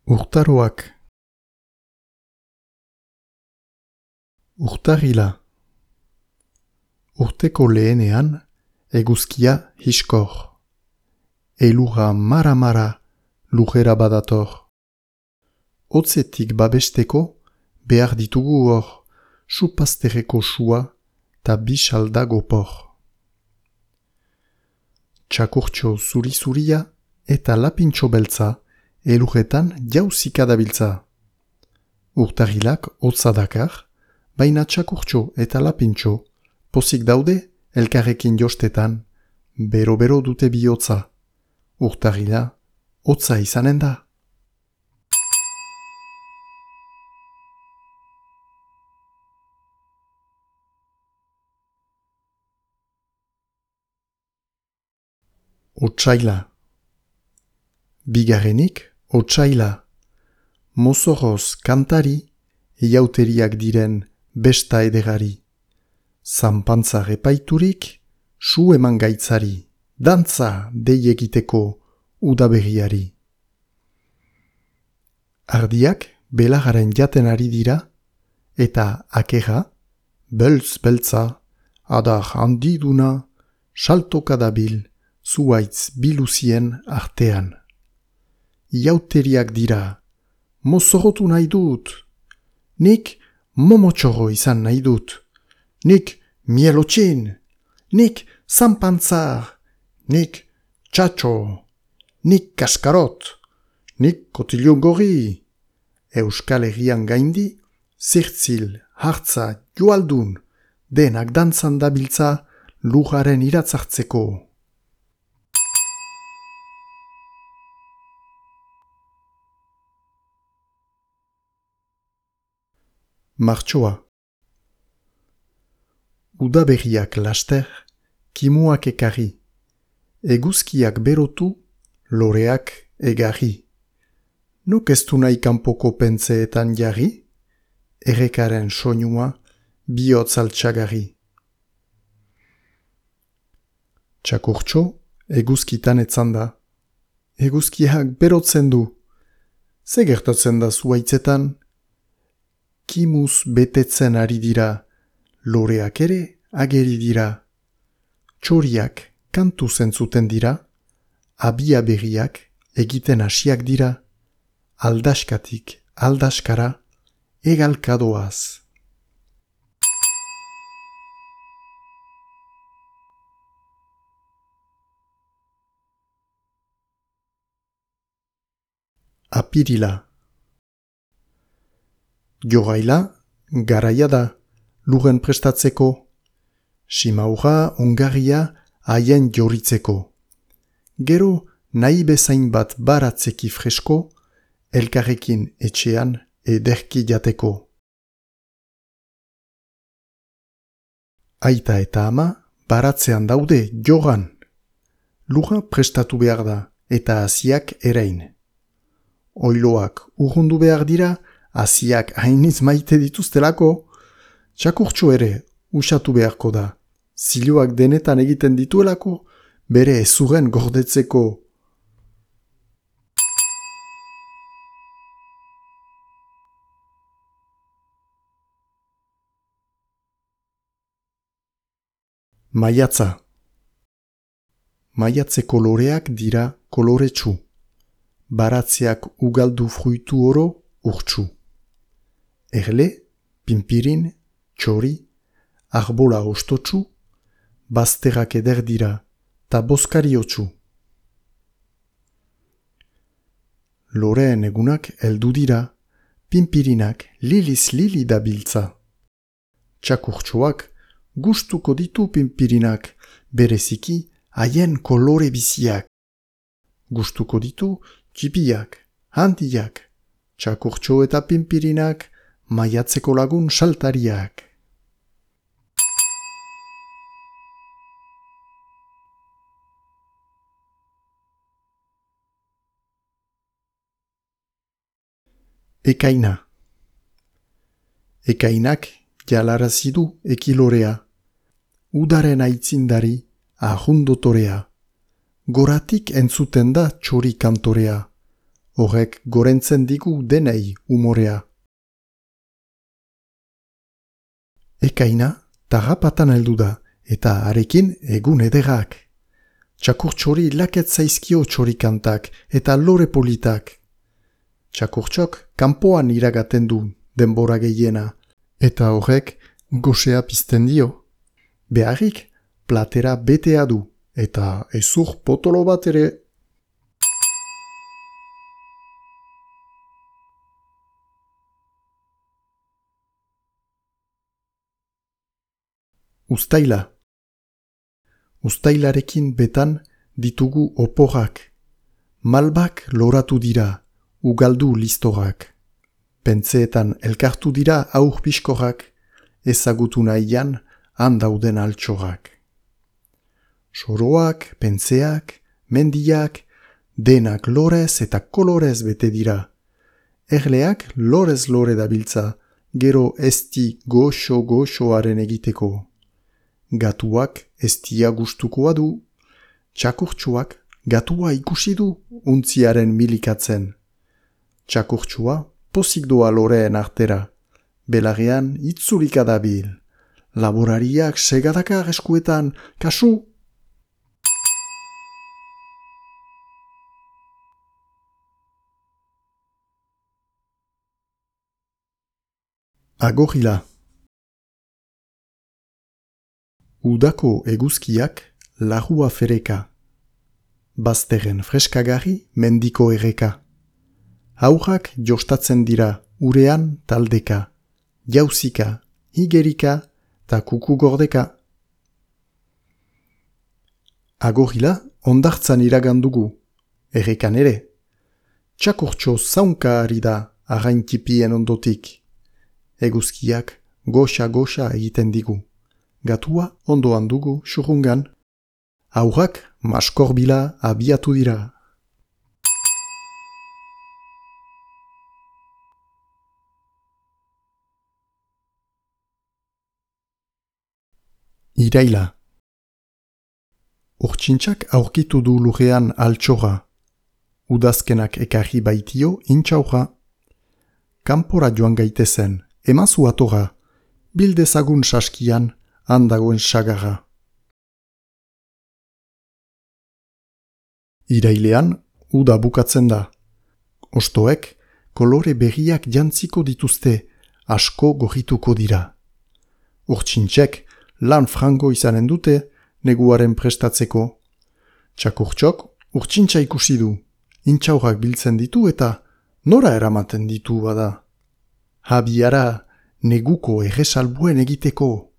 Urtaroak. Urtarrila. Urteko lehenean, eguzkia hiskor. Elurra mara-mara lujera badator. Hotzetik babesteko behar ditugu hor, supazterreko sua ta bisalda gopor. Txakurtxo zuri-zuria eta lapintxo beltza elurretan jauzika dabiltza. Urtarrilak hotza dakar, baina txakurtxo eta lapintxo pozik daude elkarrekin jostetan, bero-bero dute bihotza. Urtarrila hotza izanen da. Otsaila. Bigarrenik, otsaila. Mozorroz kantari, iauteriak diren besta edegari. Zanpantzar epaiturik, su eman gaitzari, dantza dei egiteko udaberriari. Ardiak belagaren jaten ari dira, eta akera, beltz-beltza, adar handiduna, saltoka dabil, zuaitz biluzien artean. Iauteriak dira, mozorrotu nahi dut, nik momotxorro izan nahi dut, nik mielotxin, nik zanpantzar, nik txatxo, nik kaskarot, nik kotilun gorri. Euskal Herrian gaindi, zirtzil, hartza, joaldun, denak dantzan dabiltza lujaren iratzartzeko. Martxoa. Udaberriak laster, kimuak ekarri, eguzkiak berotu, loreak egarri. Nuk ez du nahi kanpoko pentseetan jarri, errekaren soinua bihotz altxagarri. Txakurtxo eguzkitan etzan da. Eguzkiak berotzen du. Ze gertatzen da zuaitzetan? Kimuz betetzen ari dira, loreak ere ageri dira. Txoriak kantu zentzuten dira, abia berriak egiten hasiak dira, aldaskatik aldaskara egalkadoaz. Apirila. Jogaila, garaia da, luren prestatzeko. Simaurra, ongarria, haien joritzeko. Gero, nahi bezain bat baratzeki fresko, elkarrekin etxean ederki jateko. Aita eta ama baratzean daude jogan. Lura prestatu behar da eta hasiak erein. Oiloak urrundu behar dira, hasiak hainiz maite dituztelako, txakurtxo ere usatu beharko da. Ziloak denetan egiten dituelako, bere ezurren gordetzeko. Maiatza. Maiatzeko loreak dira koloretsu. Baratzeak ugaldu fruitu oro urtsu. Erle, pinpirin, txori, arbola ostotsu, bazterrak eder dira, ta boskariotsu. Loreen egunak heldu dira, pinpirinak liliz lili dabiltza. Txakurtxoak gustuko ditu pinpirinak, bereziki haien kolore biziak. Gustuko ditu txipiak, handiak, txakurtxo eta pinpirinak, maiatzeko lagun saltariak. Ekaina. Ekainak jalarazi du ekilorea. Udaren aitzindari ahundotorea. Goratik entzuten da txori kantorea. horrek gorentzen digu denei umorea. Ekaina tarrapatan heldu da, eta harekin egun ederrak. Txakurtxori laket zaizkio txorikantak eta lore politak. Txakurtxok kanpoan iragaten du denbora gehiena, eta horrek gosea pizten dio. Beharrik platera betea du, eta ezur potolo bat ere. Uztaila. Uztailarekin betan ditugu oporrak. Malbak loratu dira, ugaldu listorak. Pentseetan elkartu dira aur piskorrak, ezagutu nahian handauden altxorrak. Soroak, pentseak, mendiak, denak lorez eta kolorez bete dira. Erleak lorez lore dabiltza, gero esti goxo-goxoaren egiteko. Gatuak estia gustukoa du, txakurtxuak gatua ikusi du untziaren milikatzen. Txakurtxua pozik doa loreen artera, belarrean itzulika dabil. Laborariak segadakar eskuetan, kasu! Agorila. Udako eguzkiak larrua fereka. Bazterren freskagarri mendiko erreka. Haurrak jostatzen dira urean taldeka. Jauzika, higerika eta kuku gordeka. Agorila ondartzan iragandugu, errekan ere. Txakurtxo zaunka ari da arraintipien ondotik. Eguzkiak goxa-goxa egiten digu. Gatua ondoan dugu xurrungan. Haurrak maskorbila abiatu dira. Iraila. Urtsintxak aurkitu du lurrean altxorra. Udazkenak ekarri baitio intxaurra. Kanpora joan gaitezen, emazu atorra, bildezagun saskian handagoen sagarra. Irailean, uda bukatzen da. Ostoek, kolore berriak jantziko dituzte, asko gorrituko dira. Urtsintxek, lan frango izanen dute, neguaren prestatzeko. Txakurtxok, urtsintxa ikusi du, intxaurrak biltzen ditu eta nora eramaten ditu bada. Habiara, neguko erresalbuen egiteko.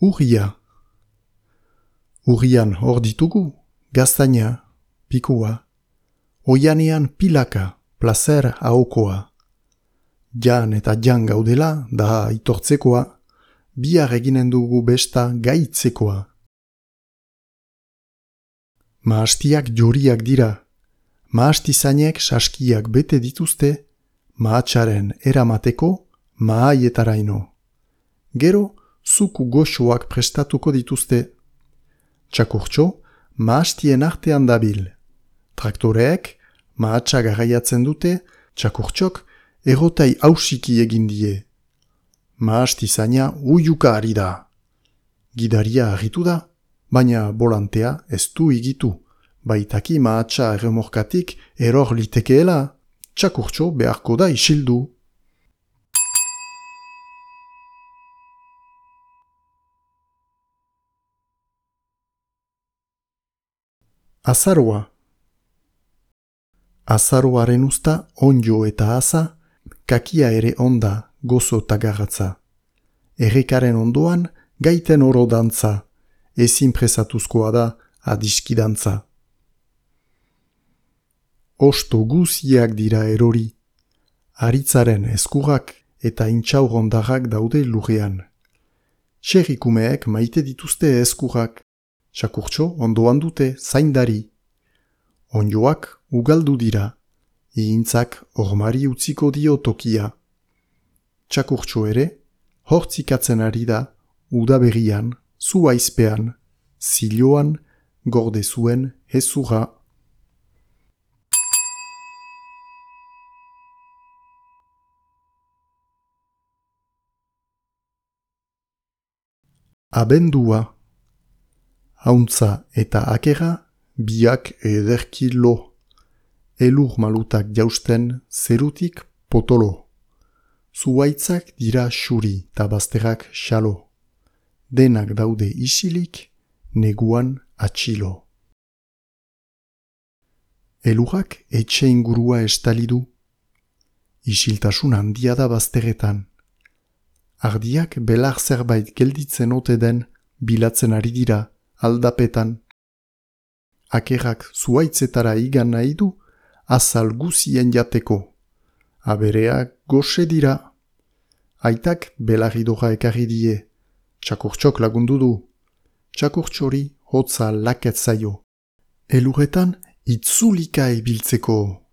Urria. Urrian hor ditugu, gaztaina, pikua. Oianean pilaka, placer ahokoa. Jan eta jan gaudela da itortzekoa, bihar eginen dugu besta gaitzekoa. Maastiak joriak dira, maastizainek saskiak bete dituzte, mahatxaren eramateko mahaietaraino. Gero, zuku goxoak prestatuko dituzte. Txakurtxo, maastien artean dabil. Traktoreek, mahatxa garraiatzen dute, txakurtxok errotai hausiki egin die. Maastizaina uiuka ari da. Gidaria harritu da, baina bolantea ez du igitu. Baitaki mahatxa erremorkatik eror litekeela, txakurtxo beharko da isildu. Azaroa. Azaroaren usta onjo eta aza, kakia ere onda gozo tagarratza. Errekaren ondoan gaiten oro dantza, ezin presatuzkoa da adiskidantza. Osto guziak dira erori, aritzaren eskurrak eta intxaurrondarrak daude lurrean. Txerrikumeek maite dituzte eskurrak, txakurtxo ondoan dute zaindari. Onjoak ugaldu dira, ihintzak ormari utziko dio tokia. Txakurtxo ere, hortzikatzen ari da udaberrian, zuaizpean, ziloan, gorde zuen hezurra. Abendua. Hauntza eta akera, biak ederki lo. Elur malutak jausten zerutik potolo. Zuaitzak dira xuri ta bazterrak xalo. Denak daude isilik, neguan atxilo. Elurrak etxe ingurua estalidu. Isiltasun handia da bazteretan. Ardiak belar zerbait gelditzen ote den bilatzen ari dira aldapetan. Akerrak zuaitzetara igan nahi du azal guzien jateko. Abereak goxe dira. Aitak belarridora ekarri die. Txakurtxok lagundu du. Txakurtxori hotza laket zaio. Elurretan itzulika ibiltzeko.